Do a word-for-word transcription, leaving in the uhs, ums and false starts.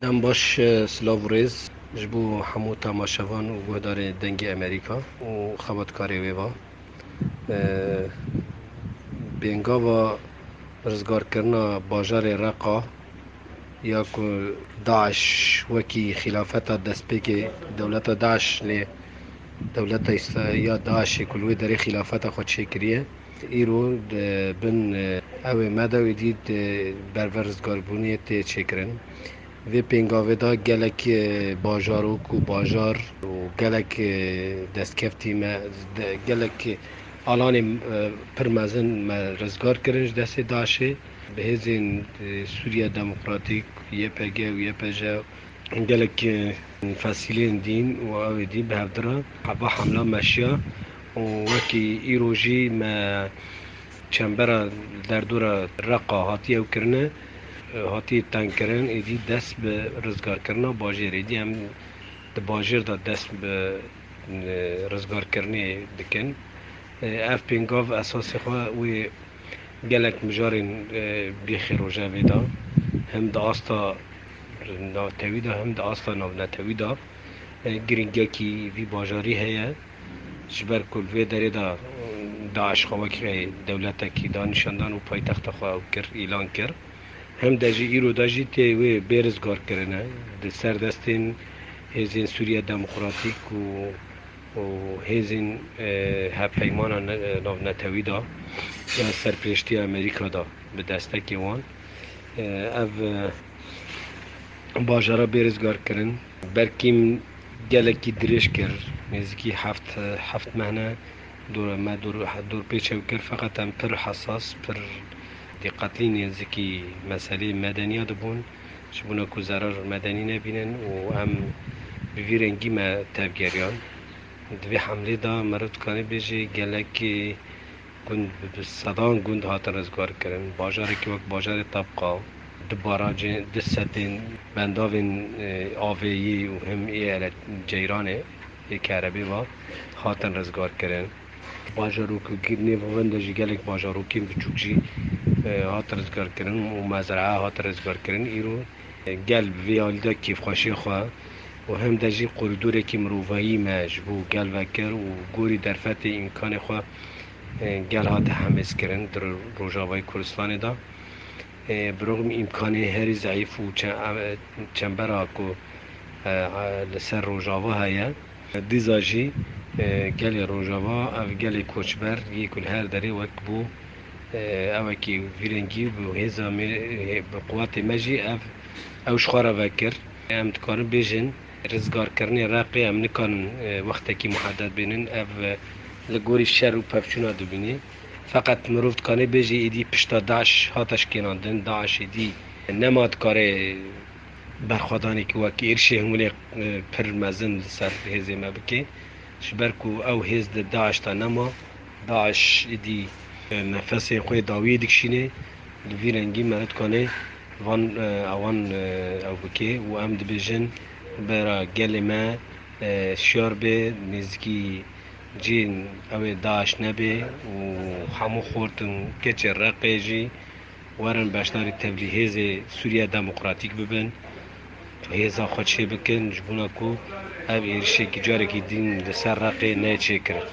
Em baş, e, silav û rêz ji bo hemû temaşevan û guhdarê Dengê Amerîka û xebatkarê wê ve. E, Pêngava rizgarkirina bajarê Reqa ya ku DAIŞ wekî xîlafeta destpêkê dewleta DAIŞ lê dewleta Îsra-, ya DAIŞê ku li wê derê xîlafeta xwe çêkiriye, îro di bin, e, ewê me de wê dî di berve rizgarbûnê tê çêkirin. Vê pêngavê de gelek, e, bajarok û bajar û gelek, e, destkeftî me, de-, gelek alanê, e, pir mezin me rizgar kirin ji destê DAIŞê. Bi hêzên, e, Sûriya Demokratîk, Y P G û Y P J, gelek, e, fesîlên dîn û awê dî bi hev re heba hemla meşiya û wekî îro jî me çembera derdora Reqa hatiye ew kirine, e, hatiye tengkirin, êdî dest bi rizgarkirina bajêrê. Êdî em di bajêr de dest bi, e, rizgarkirinê dikin. E, ev pêngav esasê xwe wê gelek mijarên, e, bîxê rojevê de, him di asta natewî de, him di asta navnetewî de, e, girîngiyekî vî bajarî heye. Ji ber ku li vê derê de, e, DAIŞ xwe wekî dewletekî da nîşandan û paytexta xwe ew kir, îlan kir. Hem de jî îro de jî tê wê bêrizgar kirine di ser destên hêzên Sûriya Demokratîk û û hêzên, e, hevpeymana ne-, navnetewî de ya serpirêştiya Amerîka de bi destekê wan, e, ev, e, bajara bê rizgar kirin. Berkîm gelekî dirêj kir, nêzîkî heft, heft mehne dor, me dor, dorpêç ew kir, feqet em pir hesas, pir dîqetlî nêzîkî meselê medeniya dibûn. Ji bona ku zerar medenî nebînin û em bi vî rengî me tevgeriyan. Di vê hemlê de meriv dikare bêje gelekî gund, bi, bi sedan gund hatin rizgar kirin. Bajarekî wek bajarê Tebqa, du barajên, du setên bendavên, e, avê yî û him ê ele ceyranê, ê kerebê ve hatin rizgar kirin. Bajarok û nêvavên de jî gelek bajarokên biçûk jî, e, hat rizgarkirin û mezraa hat rizgarkirin. Îro, e, gel bi vê alî de kêfxweşiyê xwe û hem de jî korîdorekî mirovahî me ji bo gel vekir û gorî derfetê îmkanê xwe, e, gel hate hemêzkirin di ro-, Rojavayê Kurdistanê de. E, bi rixm îmkanê herî zeîf û çe-, e, çembera ku, e, e, li ser Rojava heye. Dîza jî, e, gelê Rojava, ev gelê koçber yê ku li her derê wek bû, e, ewekî vî rengî bi hêza me, e, bi quwetê me jî ev, ew ji xwe re vekir. Em dikarin bêjin, rizgarkirinê Reqê em nikarin, e, wextekî muhedded bînin. Ev, e, li gorî şer û pevçûna dibînî. Feqet mirov dikane bêjî êdî pişta DAIŞ hate şikênandin. DAIŞ êdî nema dikare berxwedanekî wek êrişê hingulê, e, pir mezin li ser hêzê me bike. Ji ber ku ew hêz di DAIŞ de nema, DAIŞ êdî, e, nefesê xwe dawiyê dikişîne, li vî rengî me dikane van, e, ewan, e, ew bike û em dibêjin bera gelê me, e, şiyar be, nêzîkî cihên ew ê DAIŞ nebe û hemû xort û keçê Reqê jî werin beşdarî tevlî hêzê Sûriya Demokratîk bibin, hêza xwe çê bikin, ji bona ku ev êrişekî carekî din li ser Reqê neyê çêkirin.